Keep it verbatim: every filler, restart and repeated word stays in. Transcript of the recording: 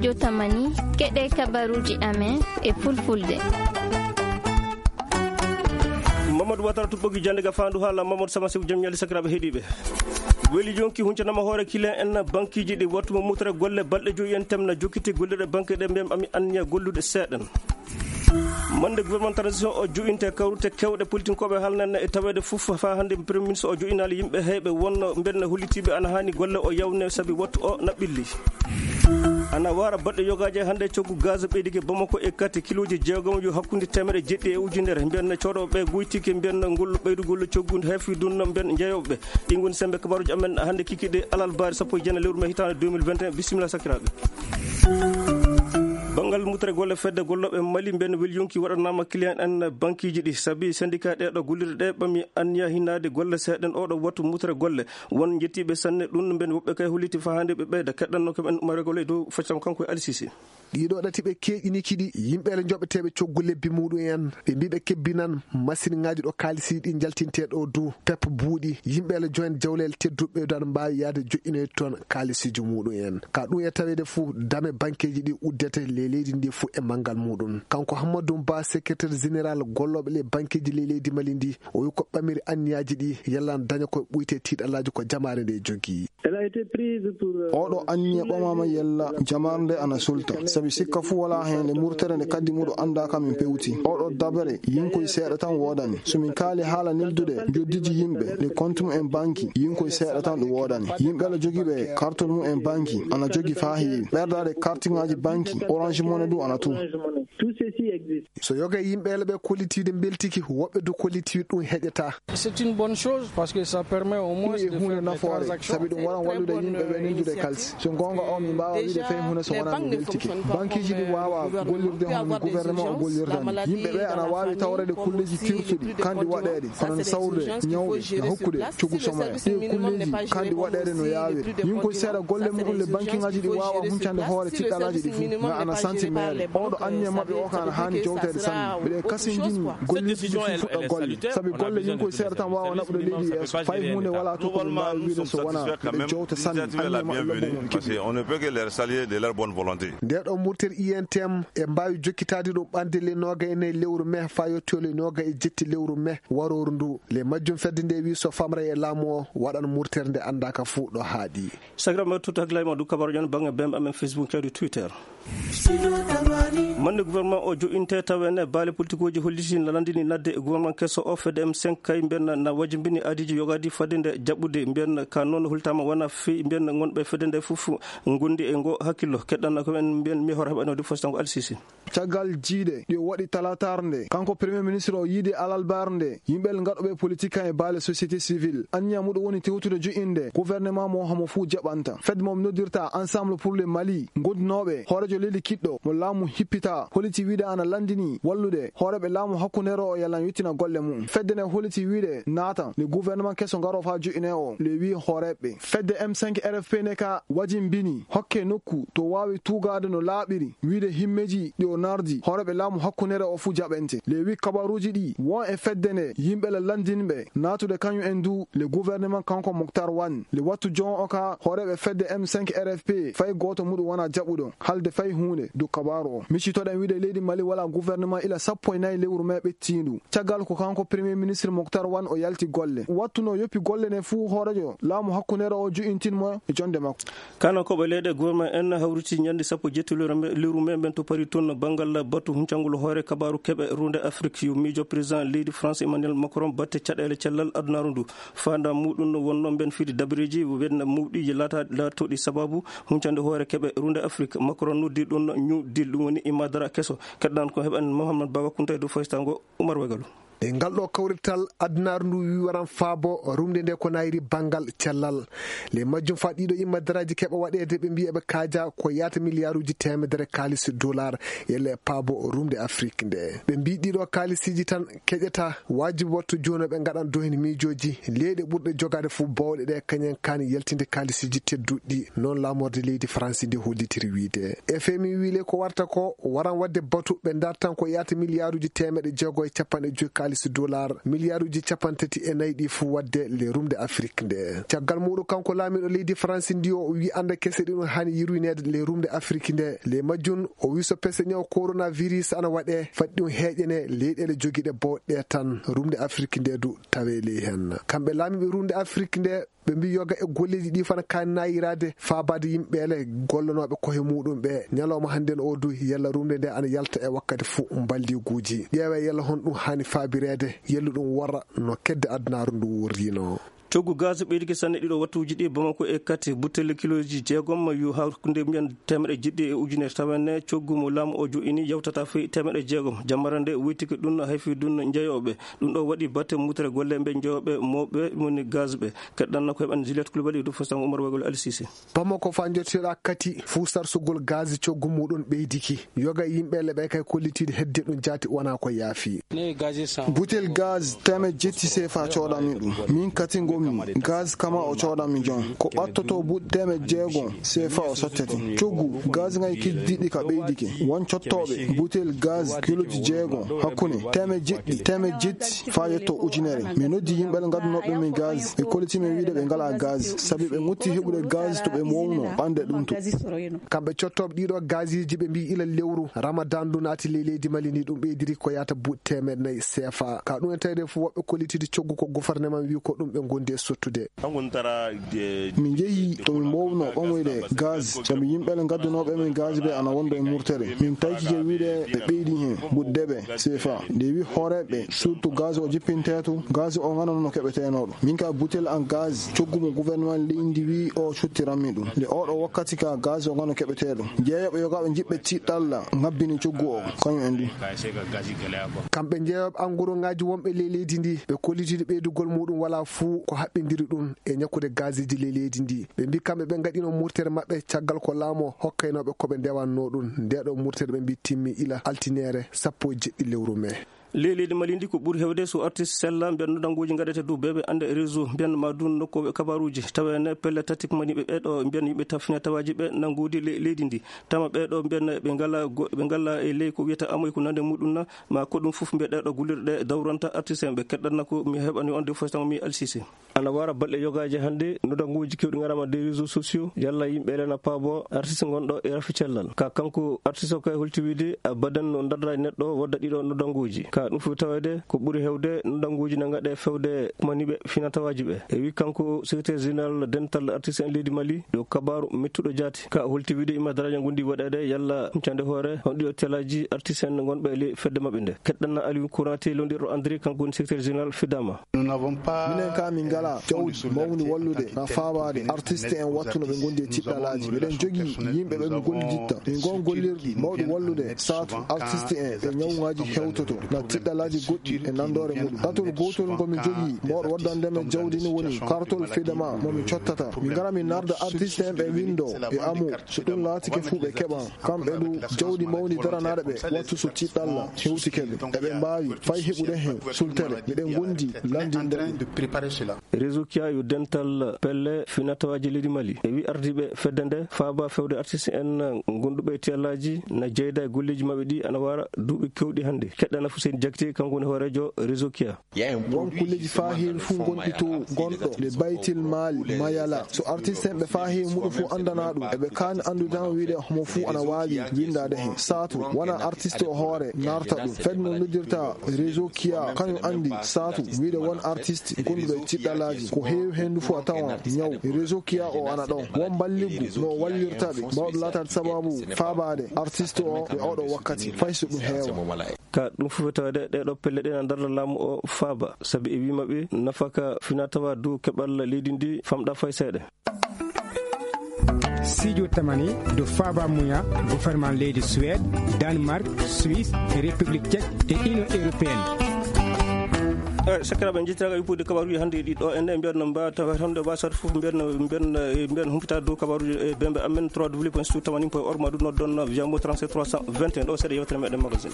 Yo tamani, keɗe kabaruuji amen e fulfulde. Mamadou Watara tuɓɓogi jannde ga faandu haala Mamadou Sama Sew jam ñaali sakiraaɓe heɗiiɓe. Weli yonki huncanama hoore kilen en bankiiji ɗi wattu mo mutre golle balɗe joyi en temna jokkiti gollirɗe banque ɗe mbiyam ami anniya gollude seeɗen. Mande gouvernement transition o jo'inte kawrute kewɗe politinkooɓe halnanne e taweede fof faa hannde premier ministre o jo'inaali yimɓe heyɓe wonno mbenna hollitiiɓe ana haani golle o yawne sabi wattu o naɓɓilli. Ana wara baɗɗe yogaaji hannde coggu gaz ɓeydike Bamako e kati kilooji jeegom yo hakkunde teemere jeɗɗi e ujunere mbiyan cooɗooɓe goytike mbiyan ngol ɓeydugol coggu heefi dunno mbiyan jeeyooɓe ɗi ngoni sembe kabaruji amen hannde kiki ɗe alal baari sappo e jeenayi lewru me hitaande deux mille vingt et un. Bisimilla sakiraaɓe. Banngal mutre golle fedde gollooɓe Mali mbiyan wel yonki waɗanaama client en bankiiji ɗi sabi syndicat ɗeɗo gollirɗe ɗe ɓami anniya hinaade golle seeɗen oɗo wattu mutre golle. Won njettiiɓe sanne ɗum mbiyan woɓɓe kay holliti fahaande ɓe ɓeyda keɗɗanno ko ɓen Umar Gole dow faccam kanko e Alisisi. Ɗiɗo ɗati ɓe keeƴini kiɗi yimɓeele joɓeteeɓe coggu lebbi muɗum en ɓe mbi ɓe kebbinan masiŋaaji ɗo kaalisi ɗi jaltinte ɗo du pep buuɗi yimɓeele joen jawleel tedduɓe dan mbaawi yaade joƴƴinoyde toon kaalisiiji muɗum en ka ɗum e taweede fuu dame bankeeji ɗi uddete le leydi ndi fuu e manngal muɗum. Kanko Hammadou Ba, secrétaire général gollooɓe le bankeeji le leydi Mali ndi, o wi ko ɓamiri anniyaaji ɗi yallan daña ko ɓuyte tiiɗalaaji ko jamaare nde jogii. Elle a été prise pour, euh, oɗo anniya ɓamama yella jamaare nde ana sulta sabi sikka fuu wala heen nde murtere nde kaddi muɗo annda ka min pewti oɗo dabere yinkoy seeɗa tan woodani so min kaali haala neldude joddiji yimɓe nde compte mum en banki yinkoy seeɗa tan ɗum woodani yimɓe ala jogiiɓe kartol mum en banki ana jogi faa heewi ɓerdaade kartiŋaaji banki orange mone ɗum ana tu. Tout ceci existe. So yoga e yimɓe ele ɓe kollitiiɗe mbeltiki woɓɓe du kollitiiɗe ɗum heƴata. C'est une bonne chose parce que ça permet au moins de faire des transactions. Ɗum e huunde nafoore sabi ɗum waran wallude yimɓe ɓe neldude kalsi so goonga o mi mbaawa wiide fay huunde so wonaa mi weltike bankiiji ɗi waawa gollirde hono gouvernement o gollirta ni yimɓe ɓe ana waawi tawreede kulleeji kirtuɗi kandi waɗeede hono no sawrude ñawɓe no hokkude coggu somaya ɗi kulleeji kandi waɗeede no yaawiri yinkoy seeɗa golle muɗum le bankiŋaaji ɗi waawa huncande hoore tiɗɗalaaji ɗi fof nga ana santi meere oɗo anniya maɓɓe o ka ana haani jowteede sanne mbiɗe kasinjini gollirde fuɗɗa golle sabi golle yinkoy seeɗa tan waawa naɓude leydi yeeso fay huunde wala to ko ɓe mbaawi wiide so wonaa ɓe jowta sanne anniya maɓɓe lobbo mum keɓi. On ne peut que les saluer de leur bonne volonté. Nde ɗo murter I N T M e mbaawi jokkitaade ɗum ɓande le nooga e nayi lewru me faa yotto le nooga e jetti lewru me warooru ndu le majjum fedde nde wi so famra e laamu o waɗan murter nde anndaaka fuu ɗo haaɗi. Sakira ma tuttu hakkilaaji ma du kabaru ƴan baŋnge bemɓe amen Facebook cawdi Twitter. Mande gouvernement o jo'inte tawa ene baale politikuuji holliti na landini nadde gouvernement keso o fedde M cinq kay mbiyan na wajimbini aadiji yogaadi fadde nde jaɓɓude mbiyan ka noon holtama wona fii mbiyan ngonɓe fedde nde fof ngondi e ngo hakkillo keɗɗanna ko en mbiyan mi hoore heɓanode fostango alsisi. Caggal jiiɗe ɗi o waɗi talaataar nde kanko premier ministre o yiide alalbaar nde yimɓe ngaɗoɓe politique kan e baale société civile anniya muɗum woni tewtude jo'inde gouvernement mo hamo fuu jaɓanta fedde mo noddirta ensemble pour le Mali gondunooɓe hoorejo leydi kiɗɗo mo laamu hippita holiti wiide ana landini wallude hooreɓe laamu hakkundeero o yalan yettina golle mum fedde nde holiti wiide naata le gouvernement keso ngaro faa jo'ine o le wi hooreɓe fedde M cinq R F P ne ka wajimbini hokke nokku to waawi tuugaade no laaɓiri wiide himmeeji ɗi o nardi hooreɓe laamu hakkunere o fuu jaɓente le wi kabaruuji ɗi won e fedde nde yimɓe la lanndinɓe naatude kañum en du le gouvernement kanko Moctar Wane le wattu jon o ka hooreɓe fedde M cinq R F P fay gooto muɗum wona jaɓuɗo halde fay huunde du kabaaru o miccitoɗen wiide leydi Mali wala gouvernement ila sappo e nayi lewru me ɓettiindu caggal ko kanko premier ministre Moctar Wane o yalti golle wattuno yoppi golle ne fuu hoorejo laamu hakkunere o jo'intin mo e jonde makko. Kano koɓe leyɗe gouvernement en hawriti ñande sappo jetti lewru me mben to Paris toon banngal batu huncangol hoore kabaaru keɓe runde Afrique yo miijo président leydi France Emmanuel Macron batte caɗeele cellal adunaaru ndu faanda muɗum no wonno mben fidi dabareeji wenna mawɗi laata laatoɗi sababu huncande hoore keɓe runde Afrique Macron noddi ɗum ñuɗdil ɗum woni imadara keso keɗɗan ko heɓan Mohamed Baba Kunta e dow faystango Umar Wagalu. E ngal ɗo kawrital adunaaru ndu wi waran faabo rumde nde ko nayri banngal cellal le majjum fa ɗiɗo imma daraaji keɓa waɗeede ɓe mbiya ɓe kaaja ko yaata miliyaaruuji teemedere kaalis dollar yelle e paabo rumde Afrik nde ɓe mbi ɗiɗo kaalisiiji tan keƴata waajibi wattu jooni ɓe ngaɗan dohen miijooji leyɗe ɓurɗe jogaade fof bawɗe ɗe kañen kaani yaltinde kaalisiiji tedduɗi noon laamorde leydi Faransi nde hollitiri wiide F M I wile ko warta ko waran waɗde batu ɓe dartan ko yaata miliyaaruuji teemeɗe jeego e capanɗe joyi xaalis dollar miliyaaruuji capanɗe tati e nayi ɗi fuu waɗde ley rumde Afrik nde. Caggal muuɗum, kanko laamiiɗo leydi Faransi ndi, o wiyi annde kese ɗi ɗum haani yurwineede ley rumde Afrik nde. Ley majjum, o wiyi so pese ñaw coronavirus ana waɗee, fati ɗum heeƴanee leyɗeele jogiiɗe booɗɗe tan. Rumde Afrik nde du tawee ley heen. Kamɓe laamiiɓe rumde Afrik nde, ɓe mbii yoga e golleeji ɗi fana kaani naayiraade faabaade yimɓe ele gollanooɓe koye muuɗum ɓe. Ñalawma hannde o du, yalla rumde nde ana yalta e wakkati fuu mballiguuji. Ƴeewee yalla honɗum haani faabireede, yalla ɗum worra no kedde adunaaru ndu wuurrino. Coggu gaz ɓeydike sanne ɗiɗo wattuuji ɗi Bamako e Kati. Butel kilooji jeegom yo hakkunde mbiyen teemeɗɗe jeɗɗi e ujunere, tawa ne coggu mo laamu o jo'ini yawtata fii teemeɗɗe jeegom. Jammara nde wuytike ɗum hayfi ɗum njeyooɓe. Ɗum ɗo waɗi batte mutere golle ɓe njeyooɓe mawɓe woni gaz ɓe. Keɗɗanno ko heɓan Juliette Coulibaly du fosam Oumar Wagol Al Sisi. Bamako faa njottiɗaa Kati fuu sarsugol gaz coggu muuɗum ɓeydiki. Yoga e yimɓe ele ɓe kay kollitiiɗe hedde ɗum jaati wonaa ko yaafi. Butel gaz teemeɗɗe jetti seefa coodanmi ɗum. Min Kati ngonmi. Gaz kama o coodanmi jon. Ko ɓattotoo buuɗi teemeɗɗe jeegom seefa o sottete. Coggu gaz ngay kiddiɗi ka ɓeydike. Won cottooɓe butel gaz kiloji jeegom hakkunde teemeɗɗe jeɗɗi, teemeɗɗe jetti faa yetto ujunere. Mi noddi yimɓe ngadunooɓe min gaz. Ɓe kolliti min wiide ɓe ngalaa gaz. Sabi ɓe ŋutti heɓude gaz to ɓe mownoo ɓande ɗum to. Kamɓe cottooɓe ɗiɗo gaziji ɓe mbii ila lewru Ramadan ndu naati ley leydi Mali ndi, ɗum ɓeydiri ko yaata buuɗi teemeɗɗe nayi seefa. Ka ɗum en tawde fuu woɓɓe kollitiiɗe coggu ko gouvernement wii ko ɗum ɓe ngondi e sottude. Min njehi to min mbownoo ɓamoyde gaz, sabi yimɓe ɓe ngadunooɓe min gaz ɓe ana wonde e murtere. Min taykike wiide ɓe ɓeydi heen buuɗi deeɓe seefa. Nde wi hooreeɓe surtout gaz o jippintee to, gaz o nganano no keɓeteenoo ɗo. Min ka butel an gaz coggu mo gouvernement leydi ndi wi o cottiranmi ɗum. Nde oɗo wakkati ka gaz o ngano keɓeteeɗo. Jeeyooɓe yogaaɓe jiɓɓe tiɗɗalla ngabbini coggu o, kañum en du. Kamɓe jeeyooɓe angoroŋaaji wonɓe ley leydi ndi, ɓe kollitiiɗo ɓeydugol muuɗum walaa fuu ko haɓɓindiri ɗum e ñakkude gaziji ley leydi ndi. Ɓe mbii kamɓe ɓe ngaɗino murtere maɓɓe caggal ko laamu o hokkaynooɓe ko ɓe ndewannoo ɗum. Ndeeɗo murtere ɓe mbii timmi ila altineere sappo e jeɗɗi lewru mee. Ley leydi Mali ndi ko ɓuri heewde so artiste sella mbiyan no danguuji ngaɗete dow beeɓe annde réseau mbiyan ma dun nokkooɓe kabaruuji tawa ene pelle tati ko mani ɓe ɓeɗo mbiyan yimɓe tafina tawaaji ɓe nanguudi ley leydi ndi. Tama ɓeɗo mbiyan ɓe ngala go-, ɓe ngala e ley ko wiyata amoy ko nande muɗum na ma ko ɗum fof mbiya ɗeɗo gullirɗe dawranta artiste en ɓe keɗɗanna ko mi heɓani on de fof tan mi alsise. Ana wara balɗe yogaaji hannde, nodanguuji keewɗi ngaraama des réseaux sociaux, yalla yimɓe elana paabo artiste ngonɗo e rafi cellal. Ka kanko artiste o kay holti wiide, a badan no darra e neɗɗo wadda ɗiɗo nodanguuji. Ka ɗum fof tawede ko ɓuri hewde nodanguuji na ngaɗe fewde maniɓe finatawaaji ɓe. E wi kanko secrétaire général dental artiste en leydi Mali, ɗo kabaaru mettuɗo jaati. Ka holti wiide ima daraja ngondi waɗede yalla huncande hoore, on ɗiɗo telaji artiste en ngonɓe e ley fedde maɓɓe nde. Keɗɗanna Aliou Konaté londirɗo André, kanko woni secrétaire général Fidama. Minen ka min ngala jawdi mawni wallude na faabaade artiste en wattu no ɓe ngondi e tiɗɗalaaji. Miɗen jogii yimɓe ɓe min golliditta. Min ngon gollirɗi mawɗi wallude saatu artiste en e ñawŋaaji hewtoto na tiɗɗalaaji goɗɗi e nandoore muɗum. Ɗatol gootol ngo mi jogii mawɗo waddande men jawdi ni woni kartol fedama mo mi cottata. Min ngara min narda artiste en ɓe windo e amu. So ɗum laatike fuu ɓe keɓan. Kamɓe du jawdi mawni daranaaɗo ɓe wattu so tiɗɗalla hewtike ɓe. Eɓe mbaawi fay heɓude heen sultere. Miɗen ngondi lanndinde ɗum. Réseau Kia yo dental pelle finatawaaji leydi Mali. E wi ardiiɓe fedde nde faaba fewde artiste en gonduɓe e tiyallaaji na jeyda e golleeji maɓɓe ɗi ana wara duuɓi kewɗi hannde. Keɗɗana Fuseni Jakite, kanko woni hooreejo Réseau Kia. Won kulleeji faa heewi fuu ngonɗi to gonɗo le Baytil Maali Mayala. So artiste en ɓe faa heewi muɗum fuu anndana ɗum. Eɓe kaani anndude tan wiide homo fuu ana waawi winndaade heen. Saatu wona artiste o hoore narta ɗum. Fedde no noddirta Réseau Kia, kañum anndi saatu wiide won artiste gonduɗo e tiɗɗalaaji. Ko heewi heen du fuu a tawan ñaw. Réseau Kia o ana ɗon. Won mballiggu no o wallirta ɓe. Mawɗo laataade sababu faabaade artiste o e oɗo wakkati. Fay so ɗum heewa. Ka ɗum fof tawde ɗeɗo pelle ɗe na darla laamu o faaba, sabi e wi maɓɓe nafaka finatawa dow keɓal leydi ndi famɗa fay seeɗa. Sijo tamani do faba muya gouvernement leydi Suède, Danemark, Suisse, République Tchèque et Union Européenne. Eh, sakiraaɓe, njettiraagal yuppude kabaruuji hannde ɗi ɗo, en mbiyatno mba tawa hannde wasat fof mbiyatno, mbiyatno, eh, mbiyatno humpita dow kabaruuji e bembe amen trois w point tamani point org ma ɗum noddon via mo trente-sept trois cent vingt et un ɗo seeɗa yewtere meɗen magazine.